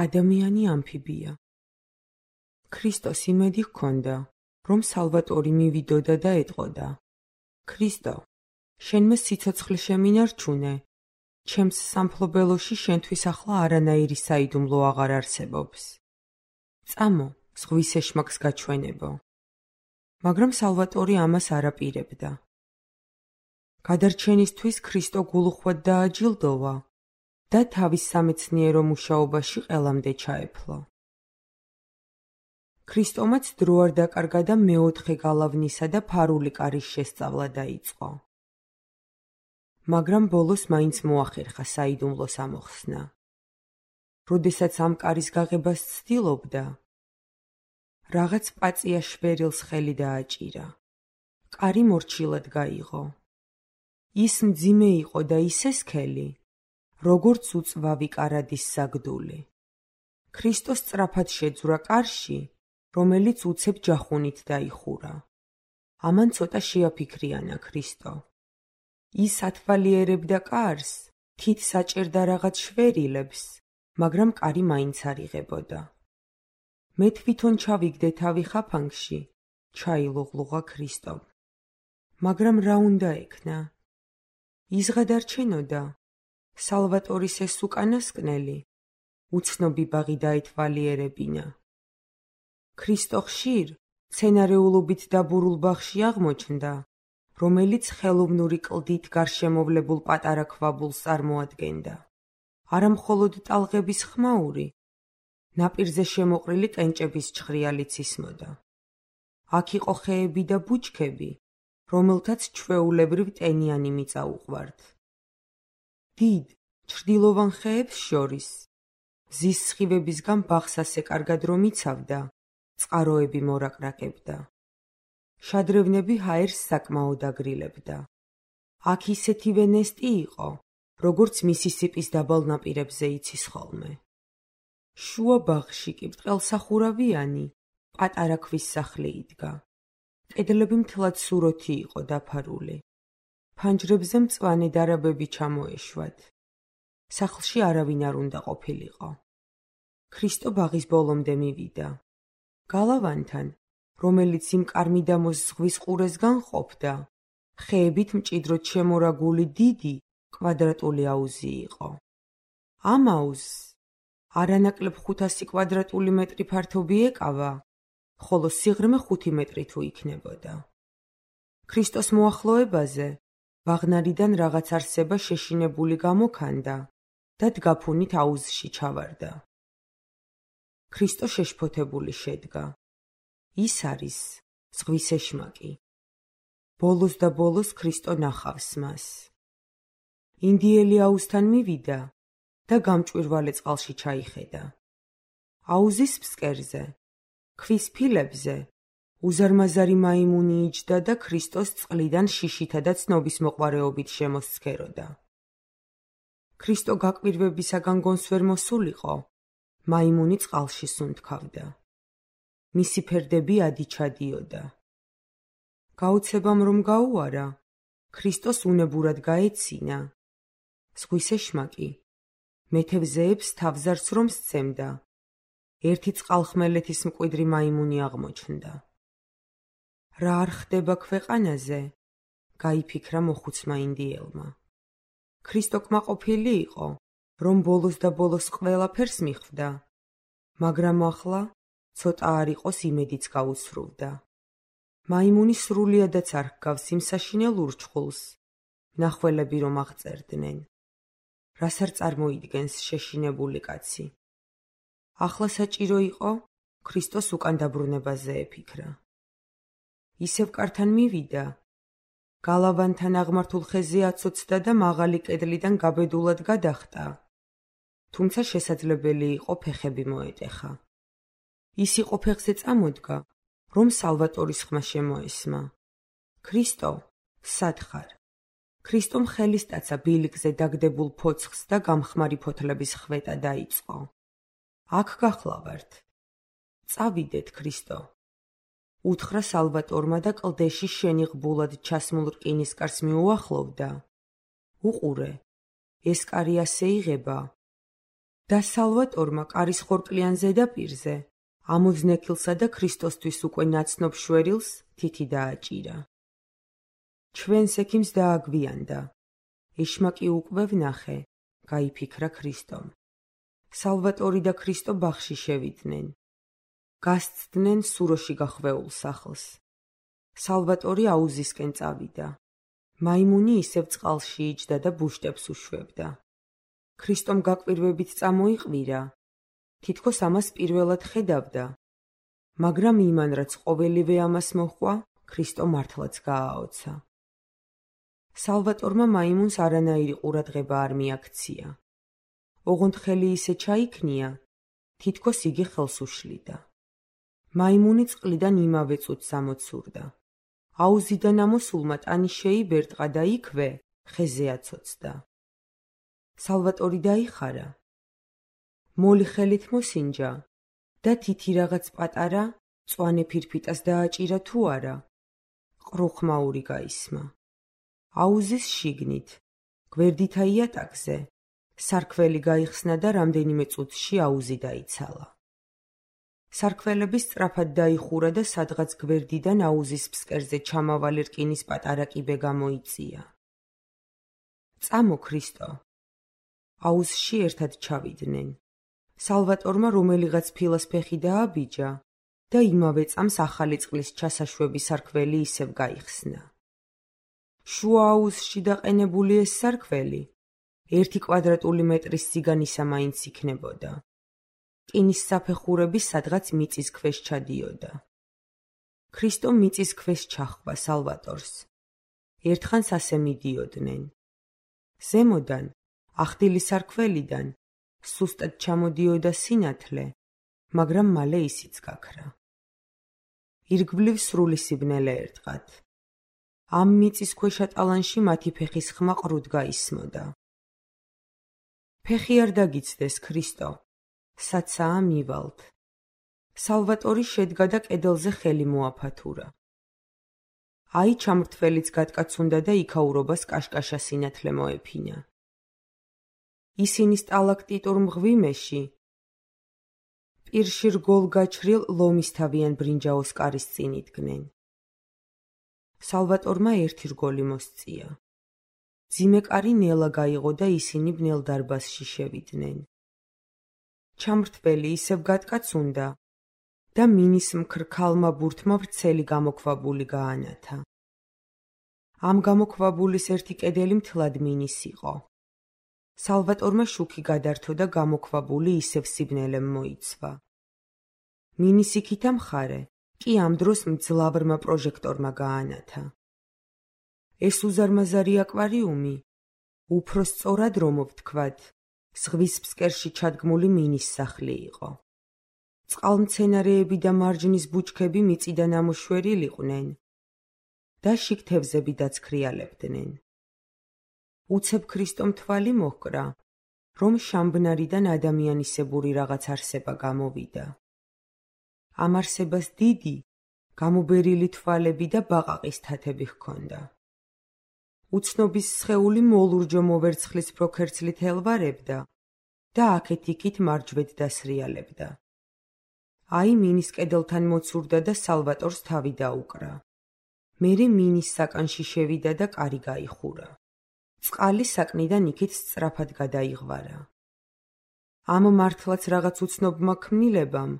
ადამიანი ამფიბია. ქრისტოს იმედი ჰქონდა, რომ სალვატორი მივიდოდა და ეტყოდა: ქრისტო, შენმე სიცოცხლე შემინარჩუნე, ჩემს სამფლობელოში შენთვის ახლა არანაირი საიდუმლო აღარ არსებობს. წამო, ზღვის ეშმაკს გაჩვენებო. მაგრამ სალვატორი ამას არ აპირებდა. გადარჩენისთვის ქრისტო გულუხვად დააჯილდოვა და თავის სამეცნიერო მუშაობაში ყველამდე ჩაეფლო. ქრისტომაც დრო არ დაკარგა და მეოთხე გალავნისა და ფარული კარის შესწავლა დაიწყო. მაგრამ ბოლოს მაინც მოახერხა საიდუმლოს ამოხსნა. როდესაც ამ კარის გაღებას ცდილობდა, რაღაც პაწია შვერილს ხელი დააჭირა. კარი მორჩილად გაიღო. ის მძიმე იყო და ისე სქელი, როგორც უწვავი კარადის საგდული. ქრისტო სწრაფად შეძვრა კარში, რომელიც უცებ ჯახუნით დაიხურა. ამან ცოტა შეაფიქრიანა ქრისტო. ის ათვალიერებდა კარს, თით საჭერდა რაღაც შვერილებს, მაგრამ კარი მაინც არ იღებოდა. მე თვითონ ჩავიგდე თავი ხაფანგში, ჩაილუღლუღა ქრისტომ. მაგრამ რა უნდა ექნა? ის გადარჩენოდა. სალვატორის ეს უკანასკნელი, უცნობი ბაღი დაეთვალიერებინა. ქრისტო ხშირ, მცენარეულობით დაბურულ ბაღში აღმოჩნდა, რომელიც ხელოვნური კლდით გარშემოვლებულ პატარა ქვაბულს წარმოადგენდა. არა მხოლოდ ტალღების ხმაური, ნაპირზე შემოყრილი კენჭების ჩხრიალიც ისმოდა. აქ იყო ხეები და ბუჩქები, რომელთაც ჩვეულებრივ ტენიანი მიწა უყვართ. დიდ, ჩრდილოვან ხეებს შორის, მზის სხივებისგან ბაღს ასე კარგად რომ იცავდა, წყაროები მორაკრაკებდა. შადრევნები ჰაერს საკმაოდ აგრილებდა. აქ ისეთივე ნესტი იყო, როგორც მისისიპის დაბალ ნაპირებზე იცის ხოლმე. შუა ბაღში კი ბრტყელსახურავიანი, პატარა ქვის სახლი იდგა. კედლები მთლად სუროთი იყო დაფარული. ფანჯრებზე მწვანე დარაბები ჩამოეშვათ. სახლში არავინ არ უნდა ყოფილიყო. ქრისტო ბაღის ბოლომდე მივიდა. გალავანთან, რომელიც იმ კარმიდამოს ზღვის ყურესგან ყოფდა, ხეებით მჭიდროდ შემორაგული დიდი, კვადრატული აუზი იყო. ამ აუზს არანაკლებ 500 კვადრატული მეტრი ფართობი ეკავა, ხოლო სიღრმე 5 მეტრი თუ იქნებოდა. ქრისტოს მოახლოებაზე ბაღნარიდან რაღაც არსება შეშინებული გამოქანდა და დგაფუნით აუზში ჩავარდა. ქრისტო შეშფოთებული შედგა. ის არის ზღვის ეშმაკი. ბოლოს და ბოლოს ქრისტო ნახავს მას. ინდიელი აუზთან მივიდა და გამჭვირვალე წყალში ჩაიხედა. აუზის ფსკერზე, ქვის ფილებზე, უზარმაზარი მაიმუნი იჯდა და ქრისტოს წყლიდან შიშითა და ცნობის მოყვარეობით შემოსცქეროდა. ქრისტო გაკვირვებისაგან გონს ვერ მოსულიყო, მაიმუნი წყალში სუნთქავდა. მისი ფერდები ადიჩადიოდა. გაუცებამ რომ გაუარა, ქრისტოს უნებურად გაეცინა. ზღვის ეშმაკი მეთევზეებს თავზარს რომ სცემდა. ერთი წყალხმელეთის მკვიდრი მაიმუნი აღმოჩნდა. რა არ ხდება ქვეყანაზე? გაიფიქრა მოხუცმა ინდიელმა. ქრისტო კმაყოფილი იყო, რომ ბოლოს და ბოლოს ყველაფერს მიხვდა, მაგრამ ახლა ცოტა არ იყოს იმედიც გაუსრულდა. მაიმუნი სრულიადაც არ ჰგავს იმ საშინელ ურჩხულს, მნახველები რომ აღწერდნენ. რას არ წარმოიდგენს შეშინებული კაცი. ახლა საჭირო იყო ქრისტოს უკან დაბრუნებაზე ეფიქრა. ისევ კართან მივიდა, გალავანთან აღმართულ ხეზე აცოცდა და მაღალი კედლიდან გაბედულად გადახტა. თუმცა შესაძლებელი იყო ფეხები მოეტეხა. ის იყო ფეხზე წამოდგა, რომ სალვატორის ხმა შემოესმა. ქრისტო, სად ხარ? ქრისტომ ხელისტაცა ბილიკზე დაგდებულ ფოცხს და გამხმარი ფოთლების ხვეტა დაიწყო. აქ გახლავართ. წავიდეთ, ქრისტო. უთხრა სალვატორმა და კლდეში შენიღბულად ჩასმულ რკინისკარს მიუახლოვდა. უყურე, ეს კარი ასე იღება. და სალვატორმა კარის ხორკლიან ზედაპირზე ამოზნექილსა და ქრისტოსთვის უკვე ნაცნობ შვერილს თითი დააჭირა. ჩვენს ექიმს დააგვიანდა. ეშმაკი უკვე ვნახე, გაიფიქრა ქრისტომ. სალვატორი და ქრისტო ბაღში შევიდნენ. გასცდნენ სუროში გახვეულ სახლს. სალვატორი აუზისკენ წავიდა. მაიმუნი ისევ წყალში იჯდა და ბუშტებს უშვებდა. ქრისტომ გაკვირვებით წამოიყვირა. თითქოს ამას პირველად ხედავდა. მაგრამ იმან რაც ყოველივე ამას მოჰყვა, ქრისტო მართლაც გააოცა. სალვატორმა მაიმუნს არანაირი ყურადღება არ მიაქცია. ოღონდ ხელი ისე ჩაიქნია, თითქოს იგი ხელს უშლიდა. მაიმუნი წყლიდან იმავე წუთს ამოცურდა. აუზიდან ამოსულმა ტანი შეიბერტყა და იქვე ხეზე აცოცდა. სალვატორი დაიხარა. მოლი ხელით მოსინჯა და თითი რაღაც პატარა მწვანე ფირფიტას დააჭირა თუ არა. ყრუხმაური გაისმა. აუზის შიგნით, გვერდითა იატაკზე, სარქველი გაიხსნა და რამდენიმე წუთში აუზი დაიცალა. სარქველები სწრაფად დაიხურა და სადღაც გვერდიდან აუზის ფსკერზე ჩამავალი რკინის პატარა კიბე გამოიწია. წამო ქრისტო. აუზში ერთად ჩავიდნენ. სალვატორმა რომელიღაც ფილას ფეხი დააბიჯა და იმავე წამს ახალი წყლის ჩასაშვები სარქველი ისევ გაიხსნა. შუა აუზში დაყენებული ეს სარქველი 1 კვადრატული მეტრის სიგანისა მაინც იქნებოდა. რკინის საფეხურები სადღაც მიწის ქვეშ ჩადიოდა. ქრისტო მიწის ქვეშ ჩახვდა სალვატორს. ერთხანს ასე მიდიოდნენ. ზემოდან, ახდილი სარქველიდან, სუსტად ჩამოდიოდა სინათლე, მაგრამ მალე ისიც გაქრა. ირგვლივ სრული სიბნელე ერტყათ. ამ მიწის ქვეშა ტალანში მათი ფეხის ხმა ყრუდ გაისმოდა. ფეხი არ დაგიცდეს ქრისტო. საცაა მივალთ. სალვატორი შედგა და კედელზე ხელი მოაფათურა. აი ჩამრთველიც გატკაცუნდა და იქაურობას კაშკაშა სინათლე მოეფინა. ისინი სტალაქტიტურ მღვიმეში პირში რგოლ გაჩრილ ლომისთავიან ბრინჯაოს კარის წინ იდგნენ. სალვატორმა ერთი რგოლი მოსწია. ძიმე კარი ნელა გაიღო და ისინი ბნელ დარბაზში შევიდნენ. ჩამრთველი ისევ გატკაცუნდა და მინის მქრქალმა ბურთმა ვრცელი გამოქვაბული გაანათა. ამ გამოქვაბულის ერთი კედელი მთლად მინის იყო. სალვატორმა შუქი გადართო და გამოქვაბული ისევ სიბნელემ მოიცვა. მინის იქითა მხარე კი ამ დროს მძლავრმა პროჟექტორმა გაანათა. ეს უზარმაზარი აკვარიუმი, უფრო სწორად რომ ვთქვათ, ზღვის ფსკერში ჩადგმული მინის სახლი იყო. წყალმცენარეები და მარჯნის ბუჩქები მიწიდან ამოშვერილიყვნენ და შიგ-თევზები დაცქრიალებდნენ. უცებ ქრისტომ თვალი მოჰკრა, რომ შამბნარიდან ადამიანისებური რაღაც არსება გამოვიდა. ამ არსებას დიდი, გამობერილი თვალები და ბაყაყის თათები ჰქონდა. უცნობის სხეული მოლურჯო მოვერცხლის პროქერცლით ელვარებდა და აქეთ-იქით მარჯვედ დასრიალებდა. აი მინის კედელთან მოცურდა და სალვატორს თავი დაუკრა. მერე მინის საკანში შევიდა და კარი გაიხურა. წყალი საკნიდან იქით სწრაფად გადაიღვარა. ამ მართლაც რაღაც უცნობმა ქმნილებამ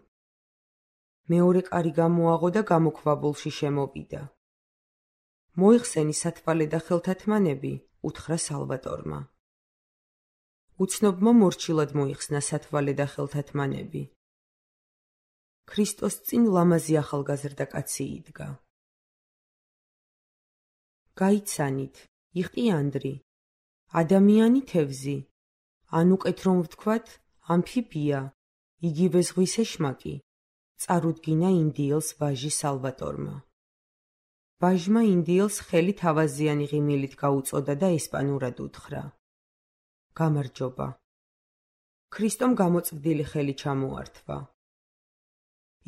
მეორე კარი გამოაღო და გამოქვაბულში შემოვიდა. მოიხსენი სათვალე და ხელთათმანები, უთხრა სალვატორმა. უცნობმა მორჩილად მოიხსნა სათვალე და ხელთათმანები. ქრისტოს წინ ლამაზი ახალგაზრდა კაცი იდგა. გაიცანით, იყტიანდრი, ადამიანი თევზი, ან უკეთ რომ ვთქვათ, ამფიბია, იგივე ზღვის ეშმაკი, წარუდგინა ინდიელს ვაჟი სალვატორმა. ვაჟმა ინდიელს ხელი თავაზიანი ღიმილით გაუწოდა და ესპანურად უთხრა. გამარჯობა. ქრისტომ გამოწვდილი ხელი ჩამოართვა.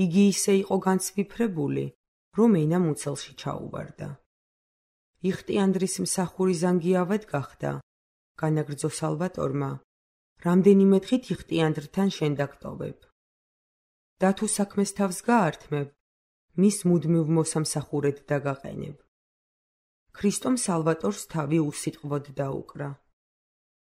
იგი ისე იყო განცვიფრებული, რომ ენა მუცელში ჩაუვარდა. იყტიანდრის მსახური ზანგიავად გახდა, განაგრძო სალვატორმა, რამდენიმე დღით იხტიანდრთან შენ დაგტოვებ. და თუ საქმეს თავს გაართმევ, მის მუდმივ მოსამსახურედ დაგაყენებ. ქრისტომ სალვატორს თავი უსიტყვოდ დაუკრა.